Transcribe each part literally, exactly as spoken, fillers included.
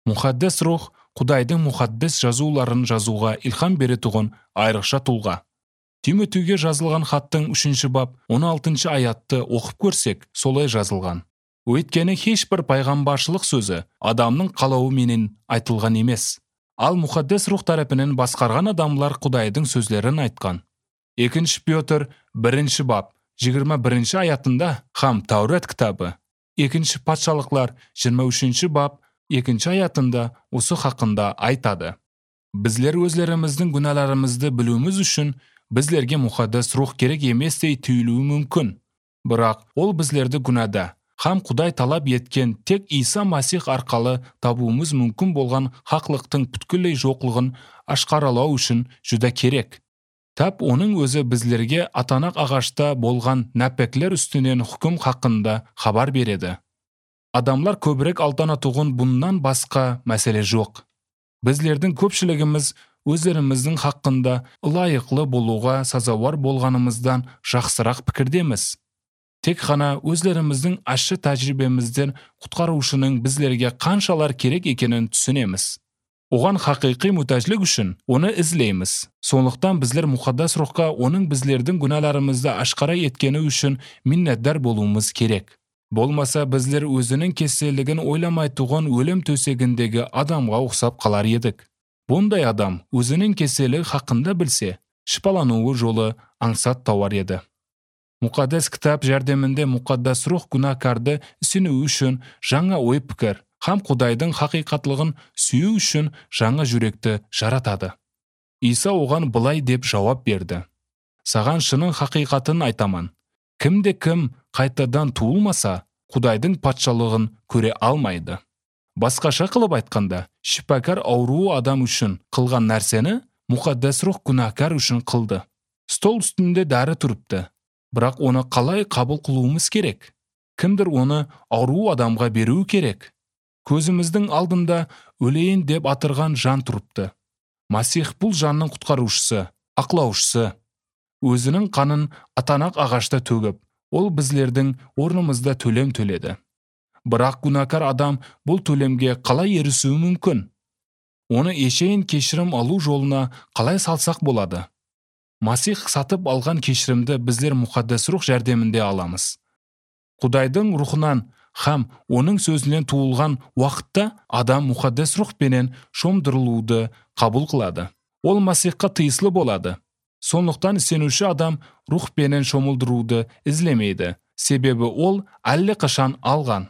Мукаддес рух Кудайдын мукаддес жазууларын жазууга илхам бере турган айрыкча тулга. Тимотийге жазылган хаттын үчүнчү бап он алтынчы аятты окуп көрсек, солай жазылган. Өйткені хеч бир пайгамбарчылык сөзү адамдын калабы менен айтылган эмес. Ал мукаддес рух тарапынан баскарган адамлар Кудайдын сөзлөрүн айткан. экинчи Петр биринчи бап жыйырма биринчи аятында хам Таврат китабы, экинчи Патшалыклар жыйырма үчүнчү бап экинчи аятында усы хакында айтады. Bizler özlerimizдің günahlarımızды білуіміз үшін bizlerге мукаддес рух керек еместей түйілуі мүмкін. Бірақ ол bizlerді günahda хам Кудай талап еткен тек Иса Масих арқалы табуымыз мүмкін болған хақлықтың бүткүлей жоқлығын ашқаралау үшін жүдә керек. Тап оның өзі bizlerге атанақ ағашта болған нәпеклер үстінен хүкім хақында хабар береді. Адамлар көбірек алдана туғын бұндан басқа мәселе жоқ. Bizlerдің көпшілігіміз өзлеріміздің хақында лайықлы болуға сазавар болғанымыздан жақсырақ пікірдеміз. Тек қана өзлеріміздің ащы тәжірибемізден құтқарушының bizlerге қаншалар керек екенін түсінеміз. Оған хақиқи мұтажлық үшін оны ізлейміз. Сондықтан bizler мукаддас рухқа оның bizlerдің күнәларымызды ашқара еткені үшін миннәтдар болуымыз керек. Болмаса bizler өзінің кеселігін ойламай туған өлім төсегіндегі адамға ұқсап қалар едік. Бұндай адам өзінің кеселігі хақында білсе, шипалануы жолы аңсат тауар еді. Мукаддес кітап жәрдемінде мукаддас рух күнәкарды ісіну үшін жаңа ой пікір, хам Кудайдың хақиқатлығын сүйу үшін жаңа жүректі жаратады. Иса оған былай деп жауап берді. Саған шының хақиқатын айтаман. Кімде кім қайтадан туылмаса, Кудайдың патшалығын көре алмайды. Басқаша қылып айтқанда, шипакар ауруу адам үшін қылған нәрсені мукаддас рух күнәкар үшін қылды. Стол үстінде дәрі тұрыпты. Бірақ оны қалай қабыл қылуымыз керек? Кімдір оны ауруу адамға беру керек? Көзіміздің алдында өлейін деп атырған жан тұрыпты. Масих бұл жанның құтқарушысы, ақлаушысы. Өзінің қанын атанақ ағашта төгіп, ол bizlerдің орнымызда төлем төледі. Бірақ күнәкар адам бұл төлемге қалай ерісуі мүмкін? Оны ешейін кешірім алу жолына қалай салсақ болады? Масих сатып алған кешірімді bizler мукаддас рух жәрдемінде аламыз. Кудайдың рухынан хам оның сөзінен туылған уақытта адам мукаддас рухпенен шомдырылуды қабыл қылады. Ол Масихқа тыйыслы болады. Сондықтан сенуші адам рухпенен шомылдыруды ізлемейді. Себебі ол әлі қашан алған.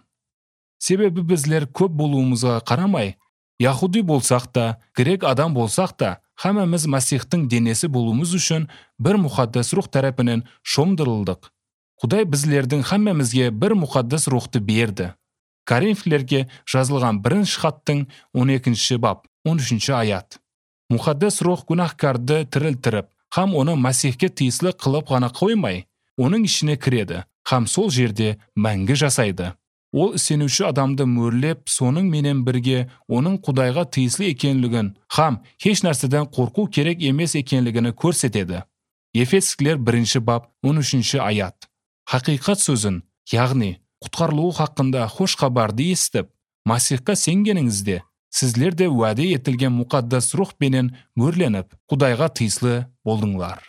Себебі bizler көп болуымызға қарамай, яхуди болсақ та, грек адам болсақ та, хамамыз Масихтың денесі болуымыз үшін бір мукаддас рух тарапынан шомдырылдық. Кудай bizlerдің хамамызге бір мукаддас рухты берді. Коринфилерге жазылған бірінші хаттың он екінші бап, он үшүнчү аят. Мукаддас рух күнәһкарды тірілтіріп, хам оны Масихке тиіслі қылып ғана қоймай, оның ішіне кіреді, хам сол жерде мәңгі жасайды. Ол сенуші адамды мөрлеп, соның менен бірге оның Кудайға тиіслі екенлігін, хам хеш нәрседен қорқу керек емес екенлігіні көрсетеді. Ефескілер бірінші бап, он үшүнчү аят. Хақиқат сөзін, яғни құтқарылуы хақында хош хабарды естіп, Масихқа сенгеніңізде, сізлер де уәде етілген мукаддас рух менен мөрленіп, Кудайға тиіслі болдыңлар.